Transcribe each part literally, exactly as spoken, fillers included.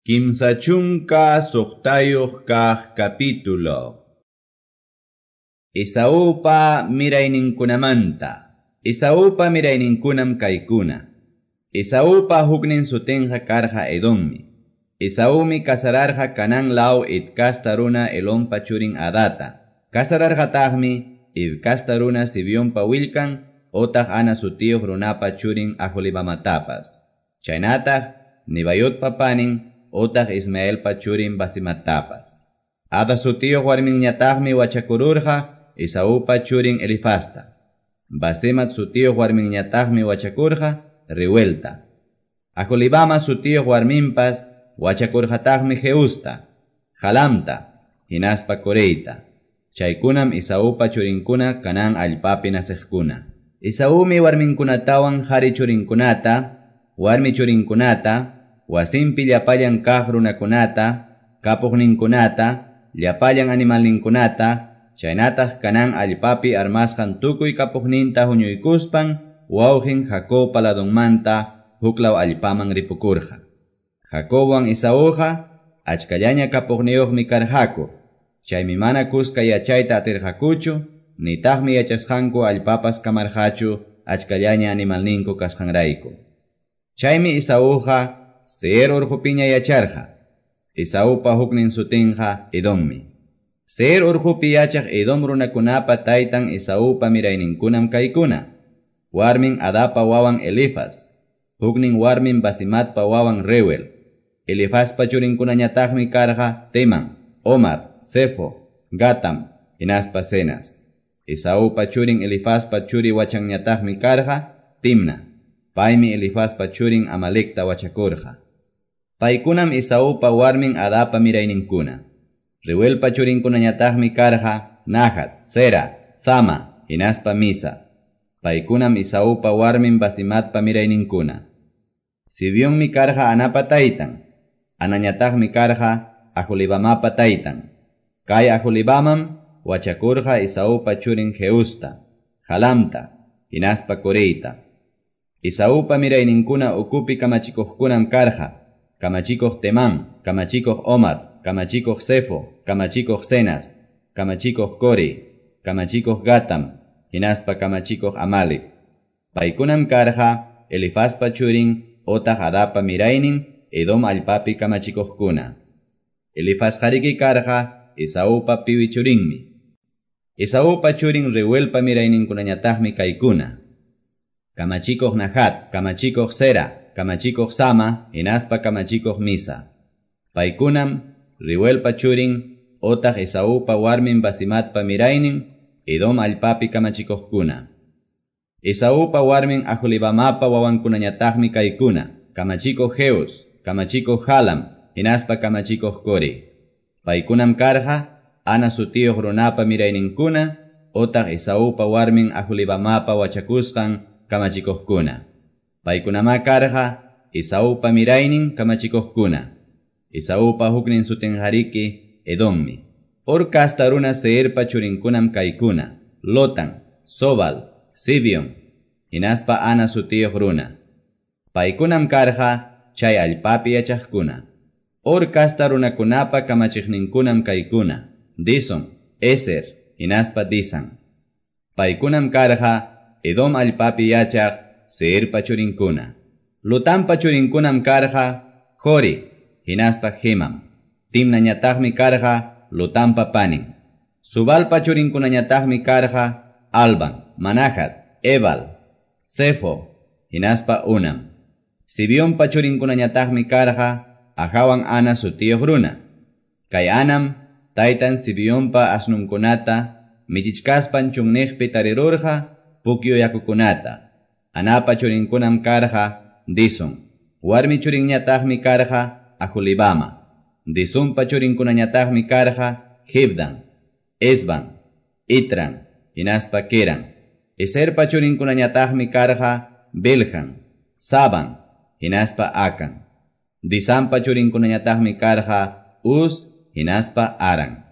Kimsa chunka suqtayuq kaq capítulo. Esaupa mirayninkunamanta. Esaupa mirayninkunam kaykuna. Esaupa huknin sutinqa karqa Edommi. Esaumi kasararqa Canaan law Het kasta runa Elonpa churin Adata. Kasararqataqmi Hiv kasta runa Zibionpa willkan otaq Ana sutiyuq runapa churin Aholibamatapas. Chaynataq Nebayotpa panin otaq Ismaelpa churin Basematapas. Ada sutiyuq warminñataqmi wachakururqa Esaupa churin Elifazta. Basemat sutiyuq warminñataqmi wachakurqa Reuelta. Aholibama sutiyuq warminpas wachakurqataqmi Jeusta, Jalamta, hinaspa Coreyta. Chaykunam Esaupa churinkuna Canaan allpapi naciqkuna. Esaumi warminkunatawan qari churinkunata, warmi churinkunata, wasinpi llapallan kaq runakunata, kapuqninkunata, llapallan animalninkunata, chaynataq Canaan allpapi armasqan tukuy kapuqninta huñuykuspan, wawqin Jacobpa ladunmanta huklaw allpaman ripukurqa. Jacobwan Esauqa achkallaña kapuqniyuqmi karqaku, chaymi mana kuska yachayta atirqakuchu, nitaqmi yachasqanku allpapas kamarqachu achkallaña animalninku kasqanrayku. Chaymi Esauqa Seir urqupiña yacharqa. Esaupa huknin sutinqa Edommi. Seir urqupi yachaq Edom runakunapa taytan Esaupa mirayninkunam kaykuna. Warmin Adapa wawan Elifaz, huknin warmin Basematpa wawan Reuel. Elifazpa churinkunañataqmi karqa Teman, Omar, Zefo, Gatam, hinaspa Cenaz. Esaupa churin Elifazpa churi wachanñataqmi karqa Timna. Paymi Elifazpa churin Amalekta wachakurqa. Paykunam Esaupa warmin Adapa mirayninkuna. Reuelpa churinkunañataqmi karqa Nahat, Zera, Sama, hinaspa Misa. Paykunam Esaupa warmin Basematpa mirayninkuna. Zibionmi karqa Anapa taytan. Anañataqmi karqa Aholibamapa taytan. Kay Aholibamam wachakurqa Esaupa churin Jeusta, Jalamta, hinaspa Coreyta. Esaupa mirayninkuna ukupi kamachikuqkunam karqa, kamachikuq Temán, kamachikuq Omar, kamachikuq Zefo, kamachikuq Cenaz, kamachikuq Corey, kamachikuq Gatam, hinaspa kamachikuq Amalek. Paykunam karqa Elifazpa churin otaq Adapa miraynin Edom allpapi kamachikuqkuna. Elifazqariki karqa Esaupa piwi churinmi. Esaupa churin Reuelpa mirayninkunañataqmi kaykuna. Kamachikuq Nahat, kamachikuq Zera, kamachikuq Sama, hinaspa kamachikuq Misa. Paykunam Reuelpa churin otaq Esaupa warmin Basematpa miraynin Edom allpapi kamachikuqkuna. Esaupa warmin Aholibamapa wawankunañataqmi kaykuna. Kamachikuq Jeus, kamachikuq Jalam, hinaspa kamachikuq Corey. Paykunam karqa Ana sutiyuq runapa mirayninkuna otaq Esaupa warmin Aholibamapa wachakusqan kamachikuqkuna. Paykunamá karqa Esaupa miraynin kamachikuqkuna. Esaupa huknin sutinqariki Edommi. Hor kasta runa Seirpa churinkunam kaykuna. Lotan, Sobal, Zibeon, hinaspa Ana sutiyuq runa. Paykunam karqa chay allpapi yachaqkuna. Hor kasta runakunapa kamachiqninkunam kaykuna. Dison, Ezer, hinaspa Disan. Paykunam karqa Edom allpapi yachaq Seirpa churinkuna. Lotanpa churinkunam karqa Hori, hinaspa Hemam. Timnañataqmi karqa Lotanpa panin. Subalpa churinkunañataqmi karqa Alban, Manahat, Ebal, Zefo, hinaspa Unam. Zibionpa churinkunañataqmi karqa Ajawan Ana sutiyuq runa. Kay Anam taytan Zibionpa asnunkunata michichkaspan chunniqpi tarirurqa pukyu yakukunata. Anapa churinkunam karqa Dison. Warmi churinñataqmi karqa Aholibama. Disonpa churinkunañataqmi karqa Hibdan, Esban, Itran, hinaspa Keran. Eserpa churinkunañataqmi karqa Bilhan, Saban, hinaspa Akan. Disanpa churinkunañataqmi karqa Uz, hinaspa Aran.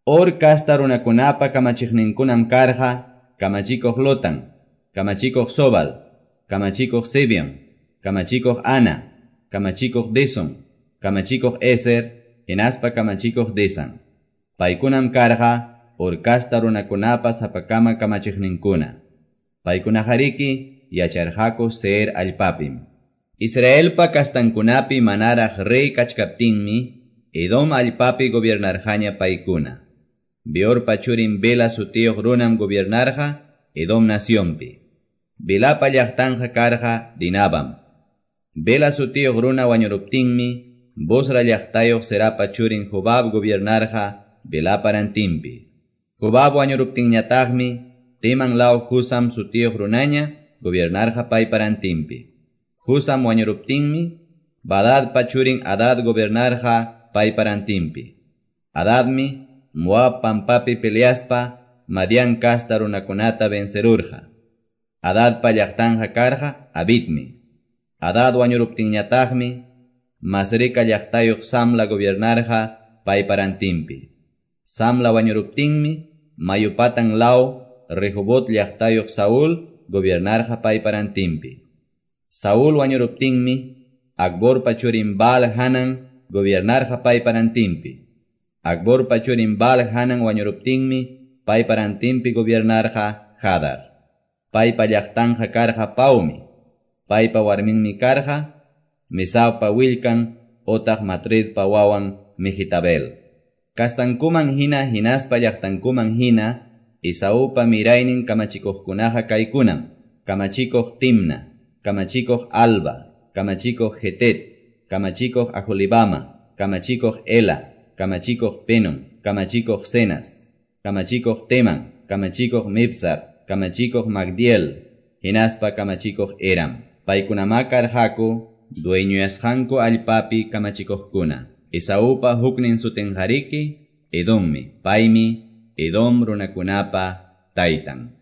Hor kasta runakunapa kamachiqninkunam karqa kamachikuq Lotan, kamachikuq Sobal, kamachikuq Zibeon, kamachikuq Ana, kamachikuq Dison, Kamachikuq Ezer, hinaspa kamachikuq Disan. Paykunam karqa Hor kasta runakunapa sapakama kamachiqninkuna. Paykunaqariki yacharqaku Seir allpapim. Israelpa kastankunapi manaraq rey kachkaptinmi, Edom allpapi gobiernarqaña paykuna. Beorpa churin Bela sutiyuq runam gobiernarqa Edom nacionpi. Belapa llaqtanja karqa Dinabam. Bela sutiyuq runa wañuruptinmi, Bosra llaqtayuq Zerapa churin Jobab gobiernarqa Belapa rantinpi. Jobab wañuruptinñataqmi, Teman law Husam sutiyuq runaña gobiernarqa paypa rantinpi. Husam wañuruptinmi, Badadpa churin Hadad gobiernarqa paypa rantinpi. Hadadmi Moab pampapi peleaspa Madian kasta runakunata vencerurqa. Hadadpa llaqtanja karqa Avitmi. Hadad wañuruptinñataqmi, Masreca llaqtayuq Samla gobiernarqa paypa rantinpi. Samla wañuruptinmi, Mayupatan law Rehobot llaqtayuq Saúl gobiernarqa paypa rantinpi. Saúl wañuruptinmi, Acborpa churin Baal Hanan gobiernarqa paypa rantinpi. Acborpa churin Baal Hanan wañuruptinmi, paypa rantinpi gobiernarqa Hadar. Paypa llaqtanja karqa Paumi. Paypa warminmi karqa Mesabpa willkan otaq Matredpa wawan Mehetabel. Kastankuman hina hinaspa llaqtankuman hina Esaupa miraynin kamachikuqkunaqa kaykunam. Kamachikuq Timna, kamachikuq Alva, kamachikuq Jetet, kamachikuq Aholibama, kamachikuq Ela, kamachikuq Penon, kamachikuq Cenas, kamachikuq Teman, kamachikuq Mibsar, kamachikuq Magdiel, hinaspa kamachikuq Eram. Paykunamá karqaku dueñoyasqanku allpapi kamachikuqkuna. Esaupa huknin sutinqariki Edommi. Paymi Edom runakunapa taytan.